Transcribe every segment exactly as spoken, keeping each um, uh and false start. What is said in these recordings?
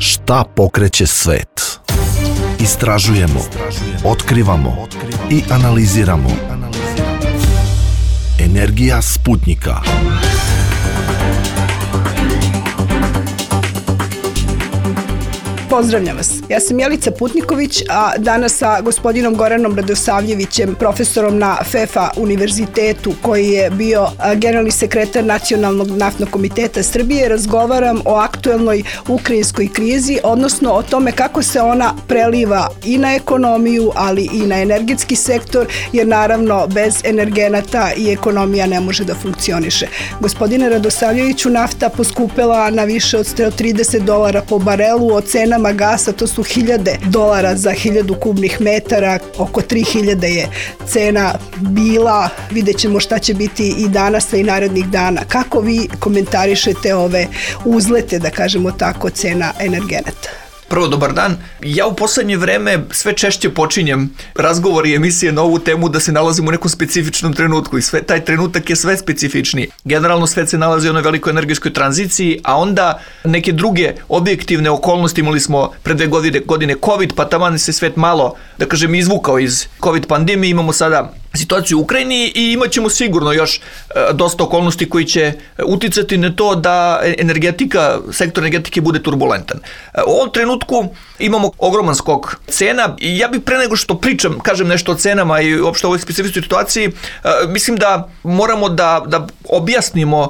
Šta pokreće svet? Istražujemo, otkrivamo i analiziramo. Energija Sputnika. Pozdravljam vas. Ja sam Jelica Putniković, a danas sa gospodinom Goranom Radosavljevićem, profesorom na F E F A univerzitetu, koji je bio generalni sekretar Nacionalnog naftnog komiteta Srbije, razgovaram o aktuelnoj ukrajinskoj krizi, odnosno o tome kako se ona preliva i na ekonomiju, ali i na energetski sektor, jer naravno bez energenata i ekonomija ne može da funkcioniše. Gospodine Radosavljeviću, nafta poskupela na više od sto trideset dolara po barelu, o cenama gasa, to su hiljade dolara za hiljadu kubnih metara, oko tri hiljade je cena bila, vidjet ćemo šta će biti i danas i narednih dana. Kako vi komentarišete ove uzlete, da kažemo tako, cena energenata? Prvo, dobar dan. Ja u poslednje vreme sve češće počinjem razgovor i emisije na ovu temu da se nalazimo u nekom specifičnom trenutku i sve, taj trenutak je sve specifičniji. Generalno svet se nalazi u onoj velikoj energetskoj tranziciji, a onda neke druge objektivne okolnosti, imali smo pre dve godine, godine COVID, pa taman se svet malo, da kažem, izvukao iz COVID pandemije, imamo sada situaciju u Ukrajini i imat ćemo sigurno još dosta okolnosti koji će uticati na to da energetika, sektor energetike bude turbulentan. U ovom trenutku imamo ogroman skok cena i ja bih pre nego što pričam, kažem nešto o cenama i uopšte o ovoj specifičnoj situaciji, mislim da moramo da, da objasnimo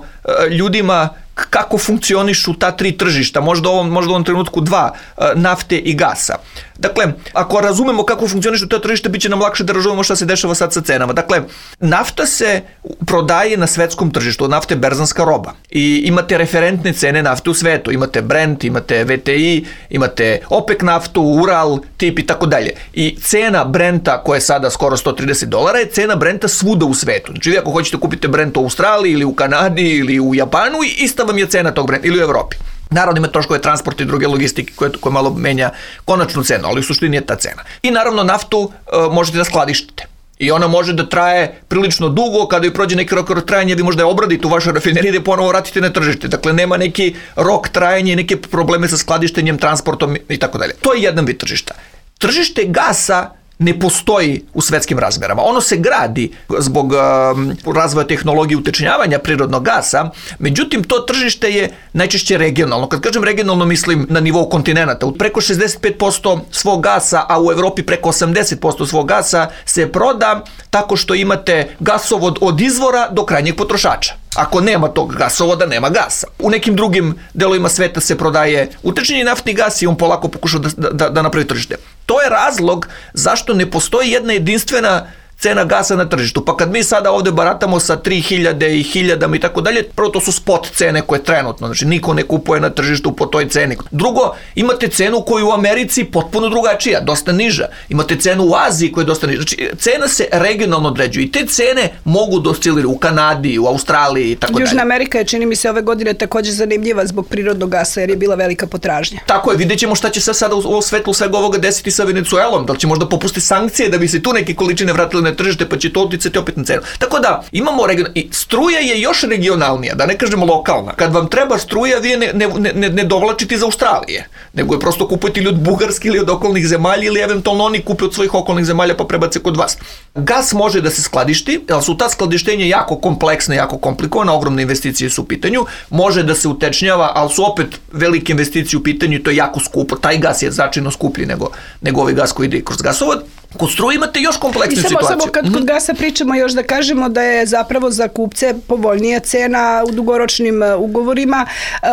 ljudima kako funkcionišu ta tri tržišta, možda u ovom, možda u ovom trenutku dva, nafte i gasa. Dakle, ako razumemo kako funkcionišu ta tržišta, bit će nam lakše da razumemo šta se dešava sad sa cenama. Dakle, nafta se prodaje na svetskom tržištu, nafta je berzanska roba i imate referentne cene nafte u svetu, imate Brent, imate V T I, imate OPEC naftu, Ural, tip i tako dalje. I cena Brenta, koja je sada skoro sto trideset dolara, je cena Brenta svuda u svetu. Znači, vi ako hoćete kupiti Brent u Australiji ili u Kanadi ili u Japanu, ista vam je cena tog Brenta, ili u Evropi. Naravno ima troškove transporta i druge logistike koje, koje malo menja konačnu cenu, ali u suštini je ta cena. I naravno naftu e, možete da skladištite. I ona može da traje prilično dugo, kada joj prođe neki rok trajanja, vi možda je obradite u vašoj rafineriji da je ponovo vratite na tržište. Dakle, nema neki rok trajanja i neke probleme sa skladištenjem, transportom i tako dalje. To je jedan vid tržišta. Tržište gasa ne postoji u svetskim razmerama. Ono se gradi zbog um, razvoja tehnologije utečnjavanja prirodnog gasa, međutim to tržište je najčešće regionalno. Kad kažem regionalno, mislim na nivou kontinenta. Preko šezdeset pet posto svog gasa, a u Evropi preko osamdeset posto svog gasa se proda tako što imate gasovod od izvora do krajnjeg potrošača. Ako nema tog gasovoda, nema gasa. U nekim drugim delovima sveta se prodaje utečnjeni naftni gas i on polako pokušao da, da, da napravi tržište. To je razlog zašto ne postoji jedna jedinstvena cena gasa na tržištu. Pa kad mi sada ovde baratamo sa tri hiljade i hiljadama i tako dalje, prvo to su spot cene koje trenutno, znači niko ne kupuje na tržištu po toj ceni. Drugo, imate cenu koju u Americi potpuno drugačija, dosta niža. Imate cenu u Aziji koja je dosta niža. Znači, cena se regionalno određuje i te cene mogu da osciliraju u Kanadi, u Australiji i tako dalje. Južna Amerika je, čini mi se, ove godine takođe zanimljiva zbog prirodnog gasa, jer je bila velika potražnja. Tako je, vidjet ćemo šta će se sada u svetlu svega ovoga desiti sa Venecuelom, da li će možda popustiti sankcije da bi se tu neke količine vratile na tržište, pa će to uticati opet na cenu. Tako da, imamo region... I struja je još regionalnija, da ne kažemo lokalna. Kad vam treba struja, vi je ne, ne, ne, ne dovlačite iz Australije, nego je prosto kupujete ili od Bugarske ili od okolnih zemalja ili eventualno oni kupe od svojih okolnih zemalja pa prebace kod vas. Gas može da se skladišti, ali su ta skladištenja jako kompleksna, jako komplikovana, ogromne investicije su u pitanju, može da se utečnjava, ali su opet velike investicije u pitanju i to je jako skupo. Taj gas je značajno skuplji nego, nego ovaj gas koji ide kroz gasovod. Kod struje imate još kompleksnu situaciju. situaciju. Samo kad kod gasa pričamo još da kažemo da je zapravo za kupce povoljnija cena u dugoročnim ugovorima,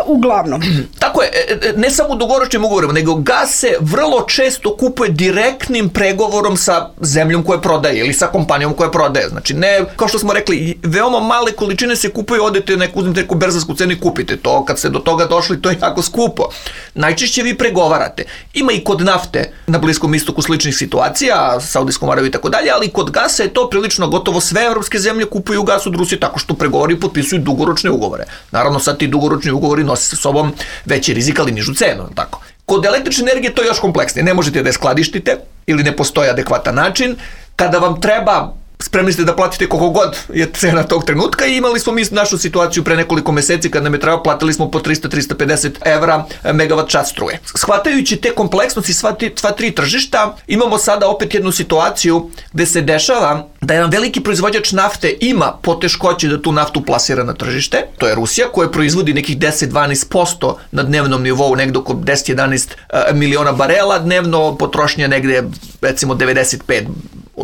uglavnom. Tako je, ne samo u dugoročnim ugovorima, nego gas se vrlo često kupuje direktnim pregovorom sa zemljom koja prodaje ili sa kompanijom koja prodaje. Znači, ne, kao što smo rekli, veoma male količine se kupuju, odete neku, uzmete neku berzansku cenu i kupite to. Kad ste do toga došli, to je jako skupo. Najčešće vi pregovarate. Ima i kod nafte na Bliskom istoku sličnih situacija, Saudijskom Arabiju i tako dalje, ali kod gasa je to prilično gotovo sve evropske zemlje kupuju gas od Rusije tako što pregovori i potpisuju dugoročne ugovore. Naravno, sad ti dugoročni ugovori nose sa sobom veći rizik, ali nižu cenu, tako. Kod električne energije to je još kompleksnije. Ne možete da je skladištite ili ne postoji adekvatan način. Kada vam treba spremni ste da platite koliko god je cena tog trenutka i imali smo mi našu situaciju pre nekoliko meseci kad nam je trebalo, platili smo po trista do trista pedeset evra megavat čas struje. Shvatajući te kompleksnosti sva, ti, sva tri tržišta, imamo sada opet jednu situaciju gde se dešava da jedan veliki proizvođač nafte ima poteškoće da tu naftu plasira na tržište, to je Rusija koja proizvodi nekih deset do dvanaest posto na dnevnom nivou, negde oko deset do jedanaest miliona barela dnevno, potrošnja negde recimo devedeset pet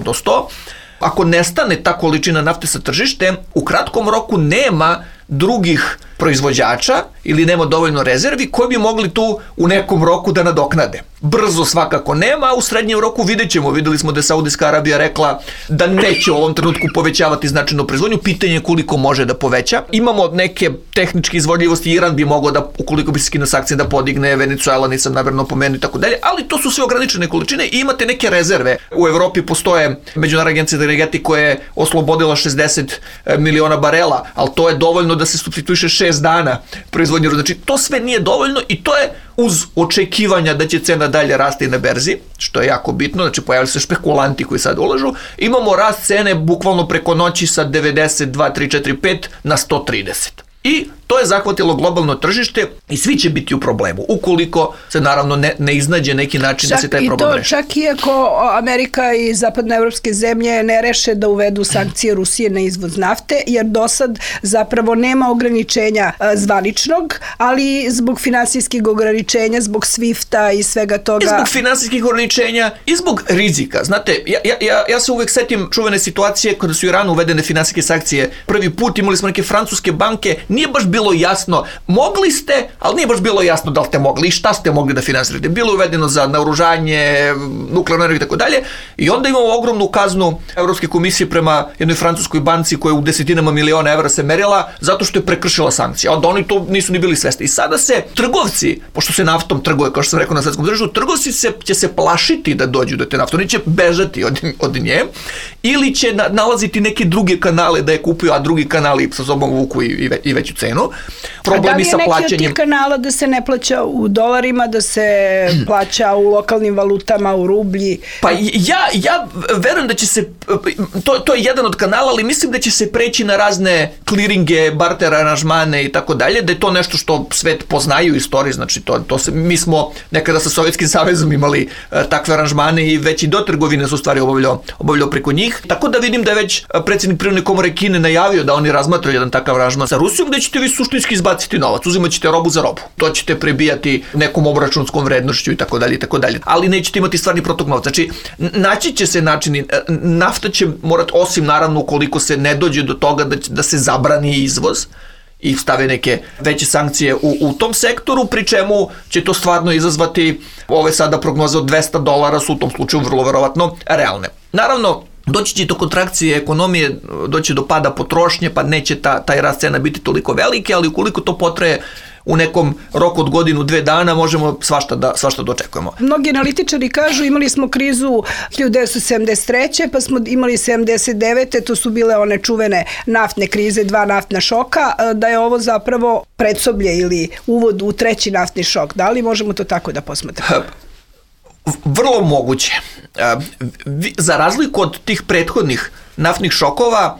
do sto. Ako nestane ta količina nafte sa tržište, u kratkom roku nema drugih proizvođača ili nema dovoljno rezervi koji bi mogli tu u nekom roku da nadoknade. Brzo svakako nema, a u srednjem roku vidjet ćemo. Videli smo da je Saudijska Arabija rekla da neće u ovom trenutku povećavati značajno proizvodnju. Pitanje je koliko može da poveća. Imamo neke tehničke izvodljivosti. Iran bi mogao da, ukoliko bi se skinuo sankcije, da podigne, Venezuela nisam namerno pomenuo i tako dalje, ali to su sve ograničene količine i imate neke rezerve. U Evropi postoje Međunarodna agencija za energetiku koja je oslobodila šezdeset miliona barela, ali to je dovoljno da se supstituiše šest dana proizvodnje. Znači, to sve nije dovoljno i to je uz očekivanja da će cena dalje rasti na berzi, što je jako bitno, znači pojavili se špekulanti koji sad ulažu, imamo rast cene bukvalno preko noći sa devedeset dva, tri, četiri, pet na sto trideset. I to je zahvatilo globalno tržište i svi će biti u problemu, ukoliko se naravno ne, ne iznađe neki način čak da se taj problem reši. Čak i ako Amerika i zapadnoevropske zemlje ne reše da uvedu sankcije Rusije na izvoz nafte, jer do sad zapravo nema ograničenja zvaničnog, ali zbog finansijskih ograničenja, zbog svifta i svega toga. I zbog finansijskih ograničenja i zbog rizika. Znate, ja, ja, ja se uvek setim čuvene situacije kada su u Iranu uvedene finansijske sankcije. Prvi put imali smo neke francuske banke, nije baš bilo jasno, mogli ste, ali nije baš bilo jasno da li ste mogli i šta ste mogli da finansirate. Bilo je uvedeno za naoružanje, nuklearnu energiju i tako dalje. I onda imamo ogromnu kaznu Evropske komisije prema jednoj francuskoj banci koja u desetinama miliona evra se merila zato što je prekršila sankcije. Onda oni to nisu ni bili svesni. I sada se trgovci, pošto se naftom trguje, kao što sam rekao na svetskom tržištu, trgovci se, će se plašiti da dođu do te nafte. Oni će bežati od, od nje ili će na, nalaziti neke druge kanale da je kupuju, a drugi kanali sa sobom vuku i, i, ve, i veću cenu. Problemi sa plaćanjem. A da li je neki od tih kanala da se ne plaća u dolarima, da se plaća u lokalnim valutama, u rublji? Pa ja, ja verujem da će se, to, to je jedan od kanala, ali mislim da će se preći na razne kliringe, barter aranžmane i tako dalje, da je to nešto što svet poznaju u istoriji, znači to, to se, mi smo nekada sa Sovjetskim savezom imali uh, takve aranžmane i već i do trgovine su u stvari obavljao, obavljao preko njih, tako da vidim da je već predsjednik Privredne komore Kine najavio da oni razmatraju jedan takav aranžman sa Rusijom, gde ćete vi suštinski izbaciti novac, uzimat ćete robu za robu, to ćete prebijati nekom obračunskom vrednošću i tako dalje i tako dalje, ali nećete imati stvarni protok novca. Znači, naći će se načini, nafta će morati, osim naravno ukoliko se ne dođe do toga da, da se zabrani izvoz i stave neke veće sankcije u, u tom sektoru, pri čemu će to stvarno izazvati ove sada prognoze od dvesta dolara su u tom slučaju vrlo verovatno realne. Naravno, doći će do kontrakcije ekonomije, doći do pada potrošnje, pa neće ta, taj rast cena biti toliko veliki, ali ukoliko to potraje u nekom roku od godinu, dve dana, možemo svašta da, svašta da očekujemo. Mnogi analitičari kažu imali smo krizu hiljadu devetsto sedamdeset treće pa smo imali sedamdeset devete to su bile one čuvene naftne krize, dva naftna šoka, da je ovo zapravo predsoblje ili uvod u treći naftni šok. Da li možemo to tako da posmatramo? Vrlo moguće. Za razliku od tih prethodnih naftnih šokova,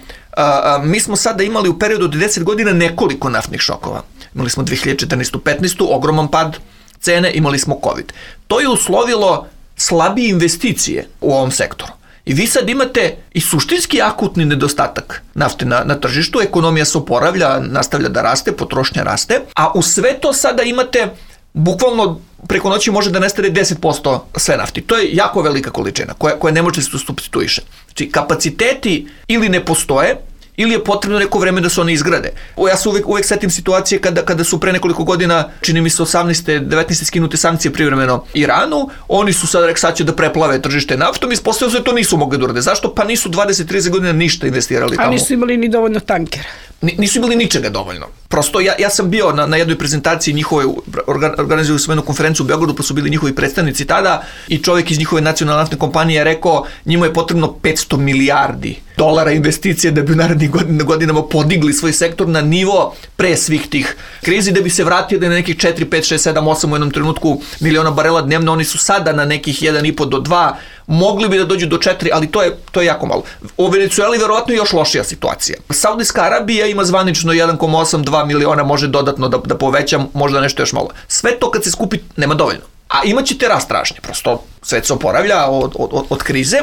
mi smo sada imali u periodu od deset godina nekoliko naftnih šokova. Imali smo dve hiljade četrnaestu petnaestu ogroman pad cene, imali smo COVID. To je uslovilo slabije investicije u ovom sektoru. I vi sad imate i suštinski akutni nedostatak nafte na, na tržištu, ekonomija se oporavlja, nastavlja da raste, potrošnja raste, a u sve to sada imate bukvalno preko noći može da nestane deset posto sve nafti. To je jako velika količina koja, koja ne može se supstituiše. Znači, kapaciteti ili ne postoje, ili je potrebno neko vreme da se oni izgrade. Ja se uvek, uvek setim situacije kada, kada su pre nekoliko godina, čini mi se osamnaeste, devetnaeste skinute sankcije privremeno Iranu, oni su sad rekli sad će da preplave tržište naftom i ispostavilo se da to nisu mogli da urade. Zašto? Pa nisu dvadeset do trideset godina ništa investirali tamo. A nisu imali ni dovoljno tankera. Nisu imali ničega dovoljno. Prosto ja, ja sam bio na, na jednoj prezentaciji njihove, organ, organizuju svojenu konferenciju u Beogradu, pa su bili njihovi predstavnici tada i čovjek iz njihove nacionalne naftne kompanije je rekao njima je potrebno petsto milijardi dolara investicije da bi u narednih godinama podigli svoj sektor na nivo pre svih tih krizi, da bi se vratili na nekih četiri, pet, šest, sedam, osam u jednom trenutku miliona barela dnevno. Oni su sada na nekih jedan i po do dva, mogli bi da dođu do četiri, ali to je, to je jako malo. U Venecueli verovatno je još lošija situacija. Saudijska Arabija ima zvanično jedan zarez osam dva miliona, može dodatno da, da poveća, možda nešto još malo. Sve to kad se skupi nema dovoljno. A imaćete rast tražnje, prosto svet se oporavlja od, od, od krize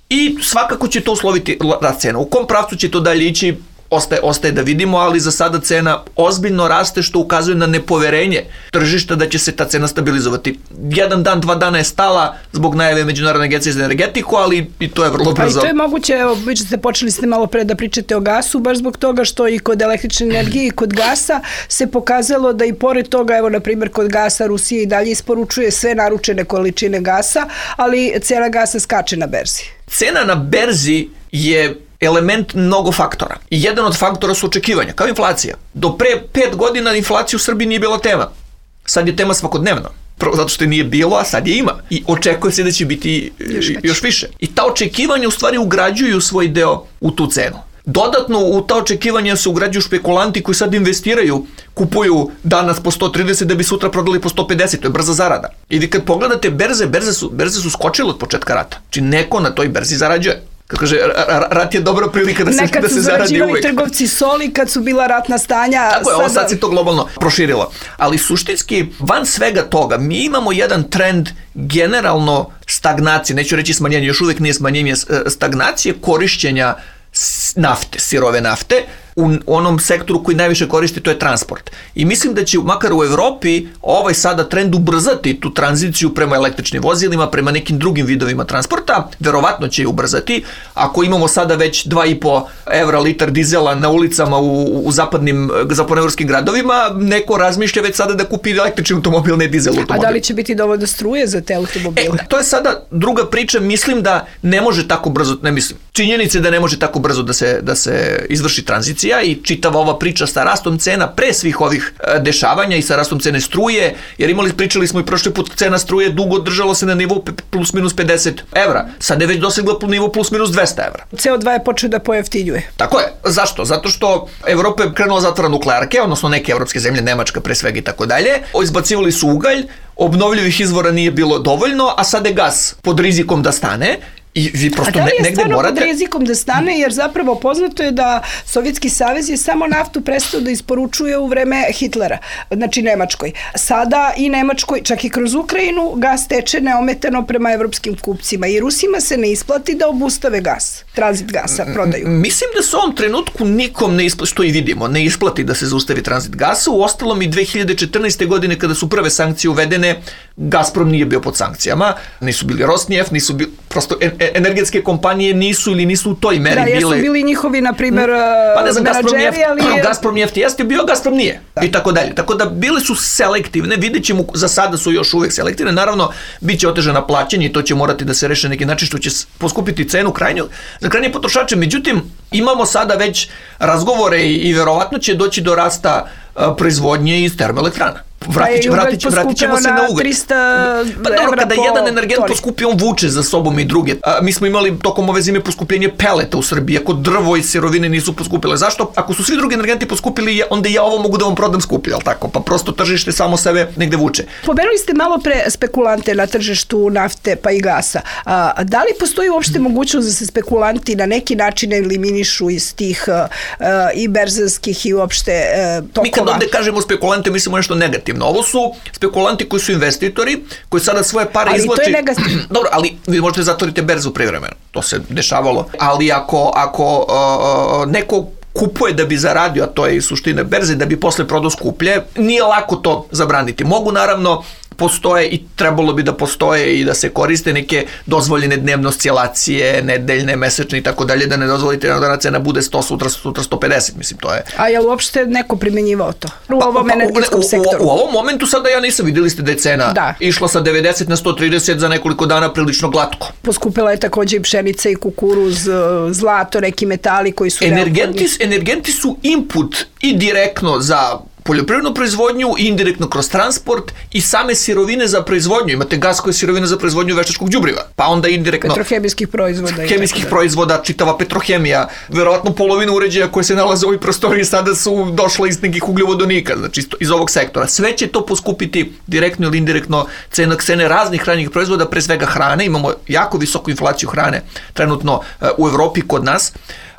i svakako će to usloviti rast cena. U kom pravcu će to dalje ići, Ostaje, ostaje da vidimo, ali za sada cena ozbiljno raste, što ukazuje na nepoverenje tržišta da će se ta cena stabilizovati. Jedan dan, dva dana je stala zbog najave Međunarodne agencije za energetiku, ali i to je vrlo brzo. Pa i to je moguće, evo, vi ste počeli ste malo pre da pričate o gasu, baš zbog toga što i kod električne energije i kod gasa se pokazalo da i pored toga, evo, na primjer, kod gasa Rusija i dalje isporučuje sve naručene količine gasa, ali cena gasa skače na berzi. Cena na berzi je element mnogo faktora. I jedan od faktora su očekivanja, kao inflacija. Do pre pet godina inflacija u Srbiji nije bila tema. Sad je tema svakodnevno. Prvo zato što je nije bilo, a sad je ima. I očekuje se da će biti još, još više. I ta očekivanja u stvari ugrađuju svoj deo u tu cenu. Dodatno u ta očekivanja se ugrađuju špekulanti koji sad investiraju, kupuju danas po sto trideset da bi sutra prodali po sto pedeset, to je brza zarada. I vi kad pogledate berze, berze su, berze su skočile od početka rata. Znači neko na toj berzi zarađuje. Kako kaže, rat je dobra prilika da se, da se zaradi uvek. Nekad su zarađivali trgovci soli kad su bila ratna stanja. Tako je, ovo sad se to globalno proširilo. Ali suštinski, van svega toga, mi imamo jedan trend generalno stagnacije, neću reći smanjenje, još uvek nije smanjenje, stagnacije korišćenja nafte, sirove nafte, u onom sektoru koji najviše koristi, to je transport. I mislim da će, makar u Evropi, ovaj sada trend ubrzati tu tranziciju prema električnim vozilima, prema nekim drugim vidovima transporta, verovatno će je ubrzati. Ako imamo sada već dva i po evra litar dizela na ulicama u, u zapadnim, zapadnoevropskim gradovima, neko razmišlja već sada da kupi električni automobil, ne dizel automobil. A da li će biti dovoljno struje za te automobile? E, to je sada druga priča, mislim da ne može tako brzo, ne mislim, činjenice da ne može tako brzo da se, da se izvrši tranzicija i čitava ova priča sa rastom cena pre svih ovih dešavanja i sa rastom cene struje, jer imali, pričali smo i prošli put, cena struje dugo držalo se na nivou plus minus pedeset evra. Sad je već dosegla nivo plus minus dvesta evra. C O dva je počeo da pojeftinjuje. Tako je. Zašto? Zato što Evropa je krenula zatvora nuklearke, odnosno neke evropske zemlje, Nemačka pre svega i tako dalje. Izbacivali su ugalj, obnovljivih izvora nije bilo dovoljno, a sad je gas pod rizikom da stane. I vi prosto ne, negde morate... A da li je stvarno pod rizikom da stane, jer zapravo poznato je da Sovjetski savez je samo naftu prestao da isporučuje u vreme Hitlera, znači Nemačkoj. Sada i Nemačkoj, čak i kroz Ukrajinu, gas teče neometano prema evropskim kupcima i Rusima se ne isplati da obustave gas, tranzit gasa, prodaju. Mislim da se u ovom trenutku nikom ne isplati, što i vidimo, ne isplati da se zaustavi tranzit gasa. U ostalom i dve hiljade četrnaeste. godine kada su prve sankcije uvedene, Gazprom nije bio pod sankcijama, nisu bili Rosneft, nisu bili, prosto energetske kompanije nisu ili nisu u toj meri bile... Da, jesu bile... bili njihovi, na primjer, pa ne znam, menadžeri, ali... Gazprom jefti jeste bio, Gazprom nije. Da. I tako dalje. Tako da bile su selektivne, vidjet ćemo, za sada su još uvek selektivne, naravno, bit će otežana plaćanje i to će morati da se reše neki način što će poskupiti cenu krajnju, za krajnje potrošače. Međutim, imamo sada već razgovore i, i verovatno će doći do rasta a, proizvodnje iz termoelektrana. Vratit, će, vratit, će, vratit ćemo se na ugalj. trista pa dobro, kada jedan energent toni poskupi, on vuče za sobom i druge. A, mi smo imali tokom ove zime poskupljenje peleta u Srbiji, ako drvo i sirovine nisu poskupile. Zašto? Ako su svi drugi energenti poskupili, onda ja ovo mogu da vam prodam skuplje, ali tako? Pa prosto tržište samo sebe negde vuče. Pomenuli ste malo pre spekulante na tržištu nafte pa i gasa. A, da li postoji uopšte mogućnost da se spekulanti na neki način eliminišu iz tih a, a, i berzanskih i uopšte a, tokova? Mi kad ovde kažemo spekulante, mislimo nešto negativno. Ovo su spekulanti koji su investitori, koji sada svoje pare ali izvlači... Ali to je negativno. Dobro, ali vi možete zatvoriti berzu privremeno. To se dešavalo. Ali ako, ako uh, neko kupuje da bi zaradio, a to je i suština berze, da bi posle prodao skuplje, nije lako to zabraniti. Mogu naravno, postoje i trebalo bi da postoje i da se koriste neke dozvoljene dnevno oscilacije, nedeljne, mesečne i tako dalje, da ne dozvolite da cena bude sto, sutra, sutra sto pedeset, mislim, to je... A je li uopšte neko primenjivao to? U pa, ovom pa, energetskom u, sektoru? U, u ovom momentu sada ja nisam, vidjeli ste da je cena da. išla sa devedeset na sto trideset za nekoliko dana prilično glatko. Poskupila je takođe i pšenica i kukuruz, zlato, neki metali koji su... Energenti, energenti su input i direktno za poljoprivrednu proizvodnju i indirektno kroz transport i same sirovine za proizvodnju. Imate gas koja je sirovina za proizvodnju veštačkog đubriva, pa onda indirektno petrohemijskih proizvoda. Hemijskih proizvoda, čitava petrohemija, verovatno polovina uređaja koje se nalaze u ovoj prostoriji sada su došle iz nekih ugljovodonika, znači iz ovog sektora. Sve će to poskupiti direktno ili indirektno cena cene raznih hranjivih proizvoda, pre svega hrane. Imamo jako visoku inflaciju hrane trenutno u Evropi kod nas.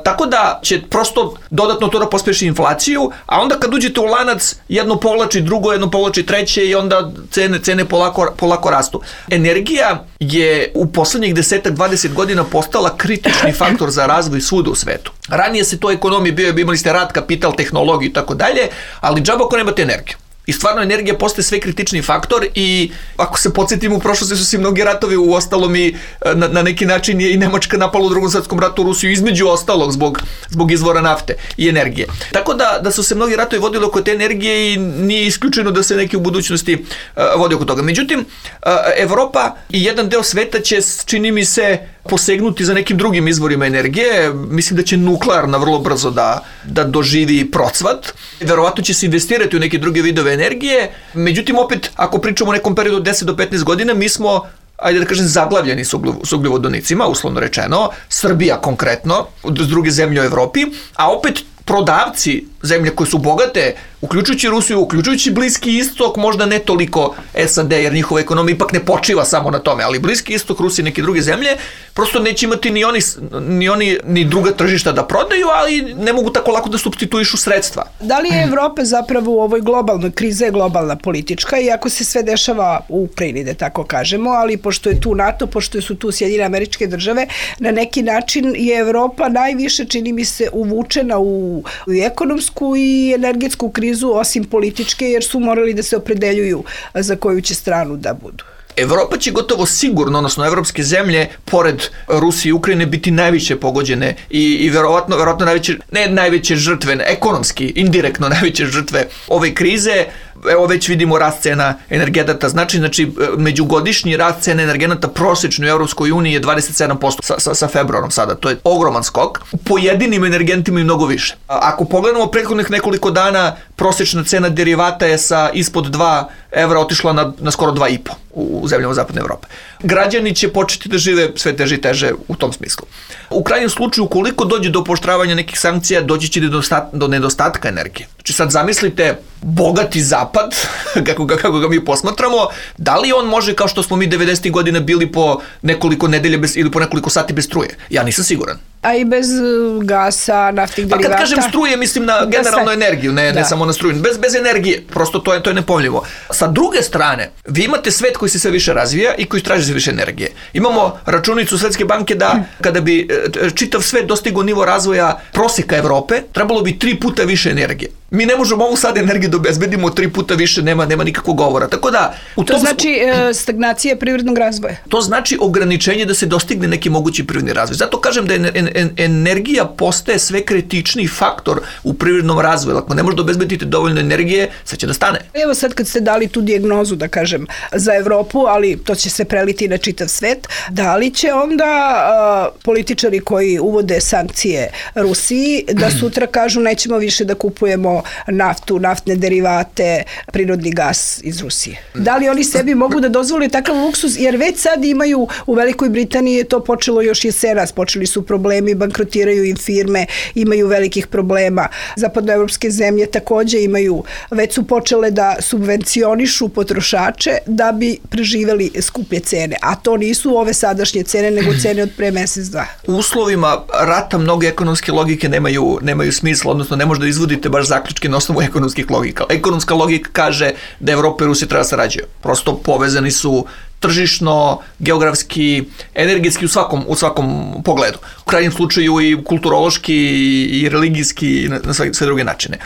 Tako da će prosto dodatno to da pospeši inflaciju, a onda kad uđete u lanac, jedno povlači drugo, jedno povlači treće i onda cene, cene polako, polako rastu. Energija je u poslednjih desetak dvadeset godina postala kritični faktor za razvoj svuda u svetu. Ranije se to ekonomije bio, imali ste rad, kapital, tehnologiju i tako dalje, ali džaba ako nemate energiju. I stvarno energija postaje sve kritični faktor i ako se podsjetimo u prošlosti su se mnogi ratovi, u ostalom i na, na neki način je i Nemačka napala u drugom svetskom ratu Rusiju između ostalog zbog, zbog izvora nafte i energije. Tako da, da su se mnogi ratovi vodili oko te energije i nije isključeno da se neki u budućnosti uh, vodi oko toga. Međutim, uh, Evropa i jedan deo sveta će, čini mi se, posegnuti za nekim drugim izvorima energije. Mislim da će nuklearna vrlo brzo da, da doživi procvat. Verovatno će se investirati u neke druge vidove energije. Međutim, opet, ako pričamo o nekom periodu od deset do petnaest godina, mi smo, ajde da kažem, zaglavljeni s ugljovodonicima, uslovno rečeno, Srbija konkretno, s druge zemlje u Evropi, a opet prodavci zemlje koje su bogate, uključujući Rusiju, uključujući Bliski istok, možda ne toliko S A D, jer njihova ekonomija ipak ne počiva samo na tome, ali Bliski istok, Rusija i neke druge zemlje, prosto neće imati ni oni, ni oni ni druga tržišta da prodaju, ali ne mogu tako lako da supstituišu sredstva. Da li je Evropa zapravo u ovoj globalnoj krizi je globalna politička, iako se sve dešava u Ukrajini, da tako kažemo, ali pošto je tu NATO, pošto su tu Sjedinjene Američke Države, na neki način je Evropa najviše, čini mi se, uvučena u, u ekonomsku i energetsku krizu, osim političke, jer su morali da se opredeljuju za koju će stranu da budu. Evropa će gotovo sigurno, odnosno evropske zemlje, pored Rusije i Ukrajine, biti najviše pogođene i, i verovatno, verovatno najveće, ne najveće žrtve, ekonomski, indirektno najveće žrtve ove krize. Evo već vidimo rast cena energenata, znači, znači međugodišnji rast cena energenata prosečno u Evropskoj uniji je dvadeset sedam posto sa, sa, sa februarom sada, to je ogroman skok. Pojedinim energentima i mnogo više. Ako pogledamo prethodnih nekoliko dana, prosečna cena derivata je sa ispod dva evra otišla na, na skoro dva i po u zemljama Zapadne Evrope. Građani će početi da žive sve teže i teže u tom smislu. U krajnjem slučaju, ukoliko dođe do pooštravanja nekih sankcija, doći će do nedostatka energije. Znači sad zamislite bogati zapad, kako ga, kako ga mi posmatramo, da li on može, kao što smo mi devedesetih godina bili po nekoliko nedelje bez, ili po nekoliko sati bez struje? Ja nisam siguran. A i bez gasa, naftnih derivata. Pa kad kažem struje, mislim na generalnu energiju, ne, ne samo na struju. Bez, bez energije, prosto to je, to je nepojmljivo. Sa druge strane, vi imate svet koji se sve više razvija i koji traži sve više energije. Imamo računicu Svetske banke da kada bi čitav svet dostigao nivo razvoja proseka Evrope, trebalo bi tri puta više energije. Mi ne možemo ovu sad energiju da obezbedimo tri puta više, nema, nema nikakvog govora. Tako da, u to znači e, stagnacija privrednog razvoja. To znači ograničenje da se dostigne neki mogući privredni razvoj. Zato kažem da en, en, en, energija postaje sve kritičniji faktor u privrednom razvoju. Ako ne možete obezbediti dovoljno energije, sad će da stane. Evo sad kad ste dali tu dijagnozu, da kažem, za Evropu, ali to će se preliti na čitav svet, da li će onda uh, političari koji uvode sankcije Rusiji da sutra kažu nećemo više da kupujemo naftu, naftne derivate, prirodni gas iz Rusije? Da li oni sebi mogu da dozvole takav luksuz, jer već sad imaju, u Velikoj Britaniji je to počelo još jesenas, počeli su problemi, bankrotiraju im firme, imaju velikih problema. Zapadnoevropske zemlje takođe imaju, već su počele da subvencionišu potrošače da bi preživeli skuplje cene, a to nisu ove sadašnje cene, nego cene od pre mesec dva. U uslovima rata mnoge ekonomske logike nemaju, nemaju smisla, odnosno ne možda da izvodite baš zaključke na osnovu ekonomskih logika. Ekonomska logika kaže da Evropa i Rusija treba da sarađuju. Prosto povezani su tržišno, geografski, energetski u svakom, u svakom pogledu. U krajnjem slučaju i kulturološki i religijski i na sve, sve druge načine.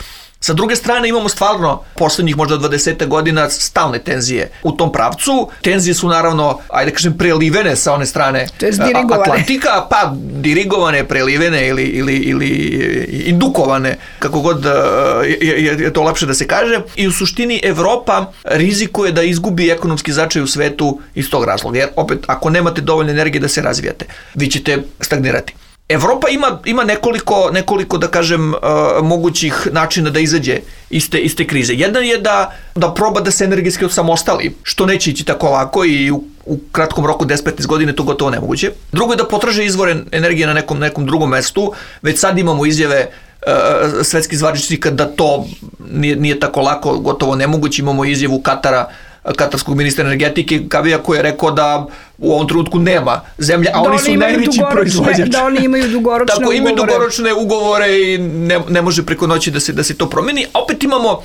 Sa druge strane imamo stvarno poslednjih možda dvadeset godina stalne tenzije u tom pravcu. Tenzije su naravno, ajde kažem, prelivene sa one strane Atlantika, pa dirigovane, prelivene ili, ili, ili indukovane, kako god je, je to lepše da se kaže. I u suštini Evropa rizikuje da izgubi ekonomski značaj u svetu iz tog razloga. Jer opet, ako nemate dovoljno energije da se razvijate, vi ćete stagnirati. Evropa ima, ima nekoliko, nekoliko, da kažem, uh, mogućih načina da izađe iste, iste krize. Jedan je da, da proba da se energetski osamostali, što neće ići tako lako i u, u kratkom roku deset do petnaest godine to gotovo nemoguće. Drugo je da potraže izvore energije na nekom, nekom drugom mestu. Već sad imamo izjave uh, svetskih zvaničnika da to nije, nije tako lako, gotovo nemoguće. Imamo izjavu Katara, katarskog ministra energetike Kabija, koji je rekao da u ovom trenutku nema zemlja, a da oni su najveći proizvođač. Da oni imaju dugoročne Tako, ugovore. imaju dugoročne ugovore i ne, ne može preko noći da se, da se to promeni. A opet imamo, uh,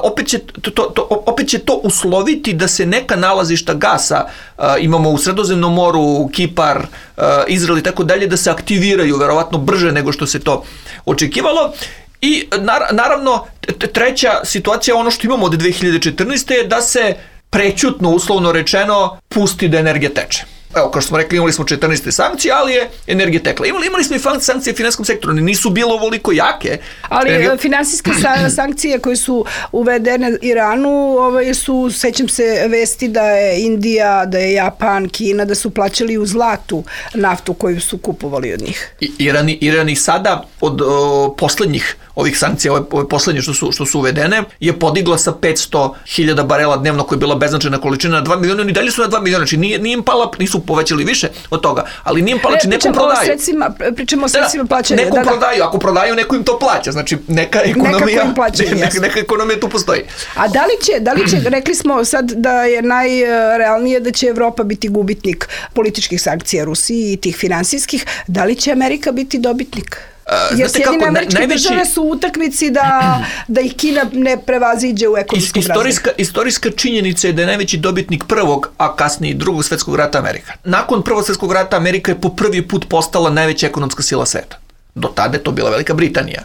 opet, će to, to, opet će to usloviti da se neka nalazišta gasa, uh, imamo u Sredozemnom moru, Kipar, uh, Izrael i tako dalje, da se aktiviraju verovatno brže nego što se to očekivalo. I naravno treća situacija, ono što imamo od dve hiljade četrnaeste je da se prećutno, uslovno rečeno, pusti da energija teče. Evo, kao što smo rekli, imali smo četrnaeste sankcije, ali je energija tekla. Imali, imali smo i sankcije u finansijskom sektoru, nisu bilo ovoliko jake. Ali Energija... finansijske sankcije koje su uvedene Iranu, ovaj, su, sećam se vesti da je Indija, da je Japan, Kina, da su plaćali u zlatu naftu koju su kupovali od njih. I, Iran, Iran i sada od o, poslednjih ovih sankcija, ove, ove poslednje što su, što su uvedene, je podigla sa petsto hiljada barela dnevno, koja je bila beznačajna količina, na dva miliona, oni dalje su na dva miliona, znači nije, nije im pala, nisu povećali više od toga, ali nije im pala, znači nekom prodaju. Sredstvima, pričamo o sredstvima plaćanja. Nekom da, da. prodaju, ako prodaju, neko im to plaća, znači neka ekonomija, neka, plaćaju, neka, neka ekonomija tu postoji. A da li će, da li će, rekli smo sad da je najrealnije da će Evropa biti gubitnik političkih sankcija Rusiji i tih finansijskih, da li će Amerika biti dobitnik? Jer Sjedinjene Američke najveći... države su u utakmici da, da ih Kina ne prevaziđe u ekonomskom istorijska, istorijska činjenica je da je najveći dobitnik prvog, a kasnije drugog svetskog rata Amerika. Nakon prvog svetskog rata Amerika je po prvi put postala najveća ekonomska sila sveta. Do tada je to bila Velika Britanija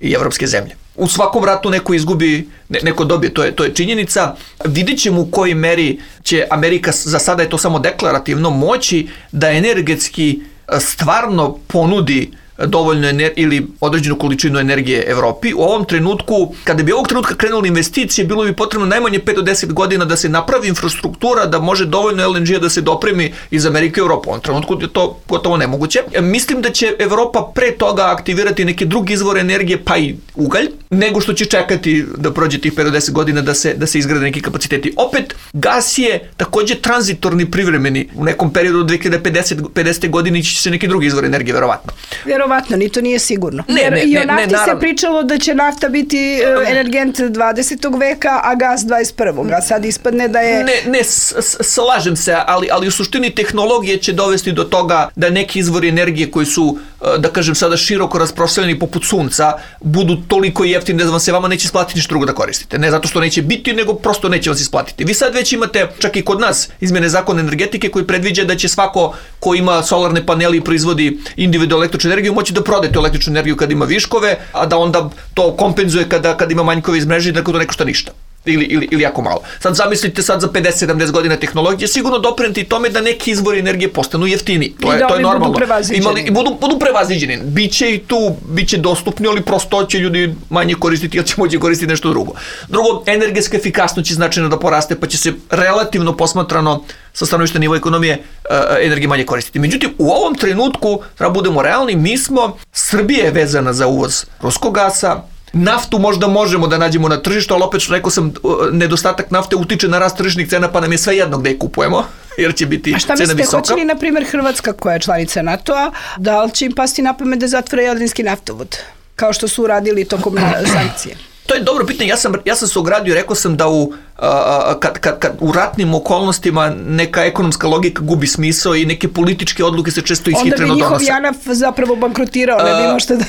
i evropske zemlje. U svakom ratu neko izgubi, ne, neko dobije, to je, to je činjenica. Vidjet ćemo u kojoj meri će Amerika, za sada je to samo deklarativno, moći da energetski stvarno ponudi dovoljno ener- ili određenu količinu energije Evropi. U ovom trenutku, kada bi ovog trenutka krenuli investicije, bilo bi potrebno najmanje pet do deset godina da se napravi infrastruktura, da može dovoljno L N G-a da se dopremi iz Amerike u Evropu. U ovom trenutku je to gotovo nemoguće. Mislim da će Evropa pre toga aktivirati neke druge izvore energije, pa i ugalj, nego što će čekati da prođe tih pet do deset godina da se, da se izgrade neki kapaciteti. Opet, gas je takođe tranzitorni, privremeni. U nekom periodu od dve hiljade pedesete godine će se neki drugi izvor energije, verovatno. Verovatno, ni to nije sigurno. Ne, Jer ne, i o ne, nafti ne, se pričalo da će nafta biti energent dvadesetog veka, a gas dvadeset prvog. A sad ispadne da je... Ne, ne, s, s, slažem se, ali, ali u suštini tehnologije će dovesti do toga da neki izvori energije koji su, da kažem sada, široko rasprostranjeni poput sunca, budu toliko jeftini da vam se vama neće isplatiti ništa drugo da koristite. Ne zato što neće biti, nego prosto neće vam se isplatiti. Vi sad već imate, čak i kod nas, izmene zakona energetike koji predviđa da će svako ko ima solarne paneli i proizvodi individualnu električnu energiju moći da prodaje tu električnu energiju kad ima viškove, a da onda to kompenzuje kada, kada ima manjkove iz mreže i da to ne košta ništa. Ili, ili, ili jako malo. Sad zamislite sad za pedeset do sedamdeset godina tehnologije sigurno doprineti tome da neki izvori energije postanu jeftini. To je, da to je normalno. Budu prevaziđeni. Imali, i budu, budu prevaziđeni. Biće i tu, biće dostupni, ali prosto će ljudi manje koristiti, jer će moći koristiti nešto drugo. Drugo, energetska efikasnost će značajno da poraste, pa će se relativno posmatrano sa stanovišta nivoa ekonomije uh, energije manje koristiti. Međutim, u ovom trenutku, treba budemo realni, mi smo, Srbija je vezana za uvoz ruskog gasa, naftu možda možemo da nađemo na tržištu, ali opet što rekao sam, nedostatak nafte utiče na rast tržišnih cena, pa nam je sve jedno gde je kupujemo, jer će biti cena visoka. A šta mislite, hoće li, na primjer, Hrvatska, koja je članica NATO-a, da li će im pasti na pamet da zatvore Jadranski naftovod, kao što su uradili tokom sankcije? To je dobro pitanje. Ja sam, ja sam se ogradio, rekao sam da u, a, kad, kad, kad u ratnim okolnostima neka ekonomska logika gubi smisao i neke političke odluke se često ishitreno donose. Onda bi njihov JANAF zapravo bankrotirao, ne bi imao što da...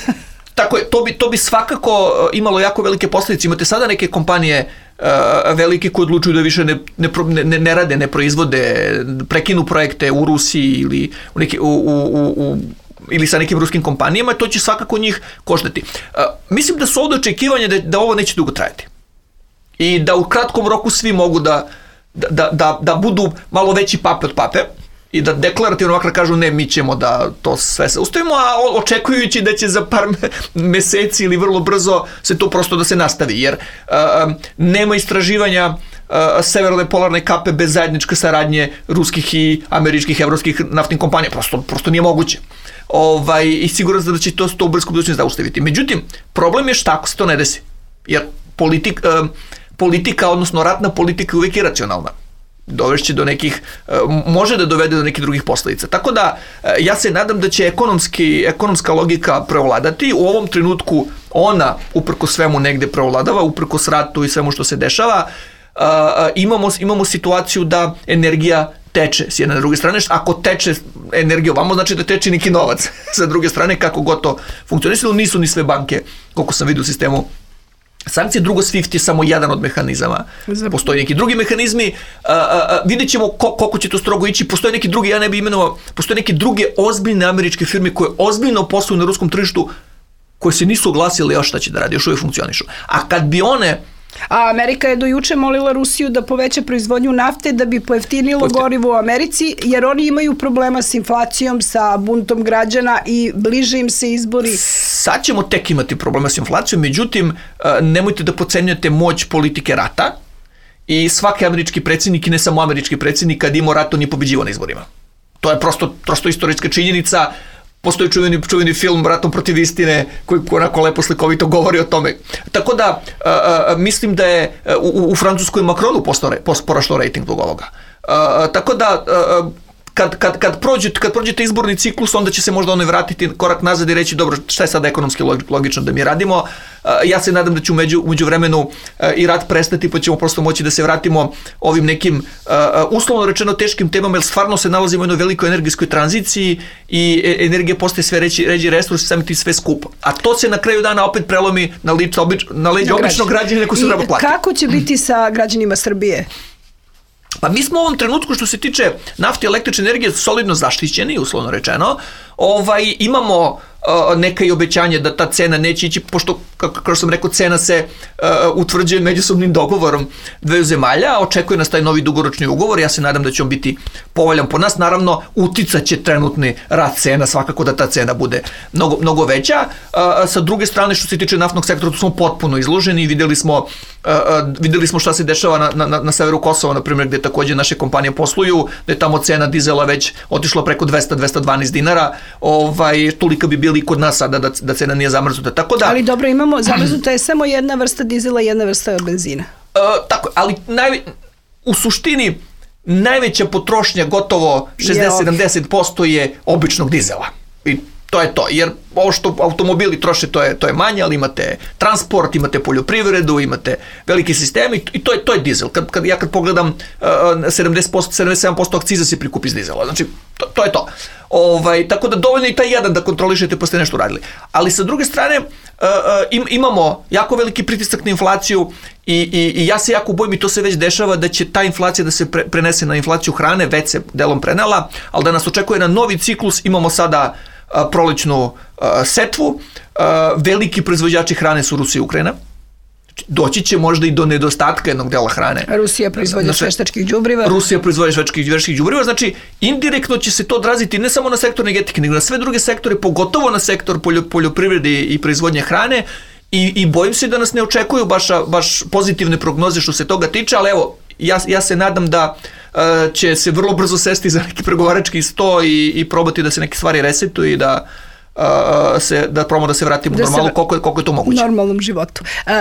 Tako je, to bi, to bi svakako imalo jako velike posljedice. Imate sada neke kompanije uh, velike koje odlučuju da više ne, ne, ne, ne rade, ne proizvode, prekinu projekte u Rusiji ili u neki, u, u, u, ili sa nekim ruskim kompanijama, to će svakako njih koštati. Uh, mislim da su ovdje očekivanja da, da ovo neće dugo trajati. I da u kratkom roku svi mogu da, da, da, da budu malo veći pape od pape i da deklarativno makar kažu ne, mi ćemo da to sve se ustavimo, a očekujući da će za par meseci ili vrlo brzo se to prosto da se nastavi, jer uh, nema istraživanja uh, severne polarne kape bez zajedničke saradnje ruskih i američkih, evropskih naftnih kompanija, prosto, prosto nije moguće. Ovaj, i siguran sam da će to, to u bliskom budućnosti zaustaviti. Međutim, problem je šta ako se to ne desi, jer politik, politika, odnosno ratna politika je uvijek iracionalna. Dovešće do nekih, može da dovede do nekih drugih posledica. Tako da ja se nadam da će ekonomski, ekonomska logika prevladati. U ovom trenutku ona uprko svemu negde prevladava, uprko ratu i svemu što se dešava. Imamo, imamo situaciju da energija teče s jedne na druge strane. Ako teče energija ovamo, znači da teče neki novac sa druge strane, kako god to funkcionisalo. Nisu ni sve banke, koliko sam vidio u sistemu sankcije. Drugo, SWIFT je samo jedan od mehanizama. Postoji neki drugi mehanizmi. A, a, a, vidjet ćemo ko, koliko će to strogo ići. Postoje neki drugi, ja ne bi imenovao, postoje neke druge ozbiljne američke firme koje ozbiljno posluju na ruskom tržištu, koje se nisu oglasile još šta će da radi, još uvijek funkcionišu. A kad bi one... A Amerika je do juče molila Rusiju da poveća proizvodnju nafte da bi pojeftinilo Pojeftin. gorivo u Americi, jer oni imaju problema s inflacijom, sa buntom građana i bliže im se izbori. Sad ćemo tek imati problema s inflacijom, međutim, nemojte da podcenjujete moć politike rata i svaki američki predsjednik i ne samo američki predsjednik kad ima rat, on je pobeđivao na izborima. To je prosto, prosto istorijska činjenica. Postoji čuveni, čuveni film Ratom protiv istine koji onako lepo slikovito govori o tome. Tako da a, a, mislim da je u, u Francuskoj Macronu poraštao rejting zbog ovoga. A, tako da a, kad, kad, kad, prođete, kad prođete izborni ciklus, onda će se možda ono vratiti korak nazad i reći dobro, šta je sada ekonomski logično da mi radimo. Ja se nadam da će umeđu, umeđu vremenu i rat prestati, pa ćemo prosto moći da se vratimo ovim nekim uslovno rečeno teškim temama, jer stvarno se nalazimo u jednoj velikoj energijskoj tranziciji i energija postaje sve reći, ređi resurs, sami ti sve skupo. A to se na kraju dana opet prelomi na, lič, obič, na leđe običnog građanina koji se treba platiti. Kako će biti sa građanima Srbije? Pa mi smo u ovom trenutku što se tiče nafte i električne energije solidno zaštićeni, uslovno rečeno. Ovaj, imamo uh, neka i obećanje da ta cena neće ići, pošto, kako, kako sam rekao, cena se uh, utvrđuje međusobnim dogovorom dveju zemalja, očekuje nas taj novi dugoročni ugovor, ja se nadam da će on biti povoljan po nas, naravno uticat će trenutni rast cena, svakako da ta cena bude mnogo, mnogo veća. Uh, sa druge strane, što se tiče naftnog sektora, tu smo potpuno izloženi, vidjeli smo, uh, vidjeli smo šta se dešava na, na, na severu Kosova, na primjer, gde takođe naše kompanije posluju, da je tamo cena dizela već otišla preko dvesta do dvesta dvanaest dinara, ovaj, tolika bi bili i kod nas sada da, da cena nije zamrznuta. Tako da, ali dobro, imamo, zamrznuta je samo jedna vrsta dizela i jedna vrsta benzina. Uh, tako, ali naj, u suštini najveća potrošnja, gotovo šezdeset do sedamdeset posto je običnog dizela. I to je to, jer ovo što automobili troše, to je, to je manje, ali imate transport, imate poljoprivredu, imate veliki sistem i to je, to je dizel. Kad, kad, ja kad pogledam uh, sedamdeset posto, sedamdeset sedam posto akciza se prikupi iz dizela, znači to, to je to. Ovaj, tako da dovoljno i taj jedan da kontrolišete pa ste nešto uradili. Ali sa druge strane uh, im, imamo jako veliki pritisak na inflaciju i, i, i ja se jako bojim i to se već dešava da će ta inflacija da se pre, prenese na inflaciju hrane, već se delom prenela, ali da nas očekuje na novi ciklus. Imamo sada uh, prolećnu uh, setvu, uh, veliki proizvođači hrane su Rusija i Ukrajina. Doći će možda i do nedostatka jednog dela hrane. Rusija proizvodnja znači, veštačkih đubriva. Rusija proizvodnja veštačkih đubriva, znači indirektno će se to odraziti ne samo na sektor energetike, nego na sve druge sektore, pogotovo na sektor poljoprivrede i proizvodnje hrane i, i bojim se da nas ne očekuju baš, baš pozitivne prognoze što se toga tiče, ali evo, ja, ja se nadam da uh, će se vrlo brzo sesti za neki pregovarački sto i, i probati da se neke stvari resetuju i da Uh, se, da probamo da se vratimo da normalno, se, koliko, je, koliko je to moguće. Normalnom životu. Uh,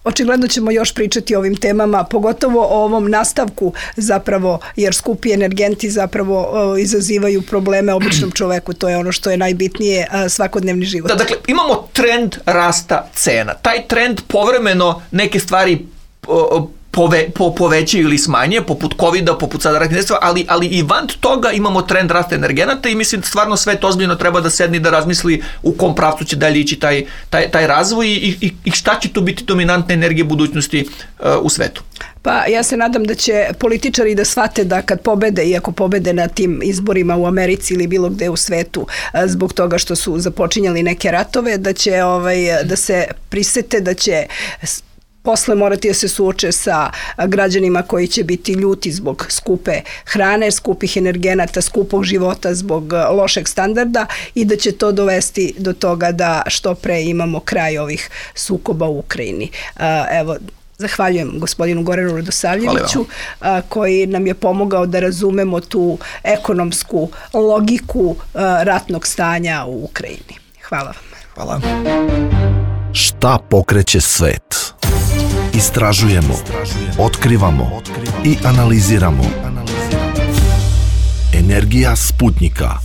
očigledno ćemo još pričati o ovim temama, pogotovo o ovom nastavku zapravo, jer skupi energenti zapravo uh, izazivaju probleme običnom čoveku, to je ono što je najbitnije, uh, svakodnevni život. Da, dakle, imamo trend rasta cena. Taj trend povremeno neke stvari uh, Pove, po, povećaju ili smanje, poput covida, poput sada ratnih dejstva, ali, ali i van toga imamo trend rasta energenata i mislim stvarno svet ozbiljno treba da sedni da razmisli u kom pravcu će dalje ići taj, taj, taj razvoj i, i, i šta će to biti dominantna energija budućnosti uh, u svetu. Pa ja se nadam da će političari da shvate da kad pobede, iako pobede na tim izborima u Americi ili bilo gde u svetu zbog toga što su započinjali neke ratove, da će ovaj, da se prisete, da će posle morati da se suoče sa građanima koji će biti ljuti zbog skupe hrane, skupih energenata, skupog života, zbog lošeg standarda i da će to dovesti do toga da što pre imamo kraj ovih sukoba u Ukrajini. Evo, zahvaljujem gospodinu Goranu Radosavljeviću koji nam je pomogao da razumemo tu ekonomsku logiku ratnog stanja u Ukrajini. Hvala vam. Hvala. Šta pokreće svet? Istražujemo, otkrivamo i analiziramo. Energija Sputnika.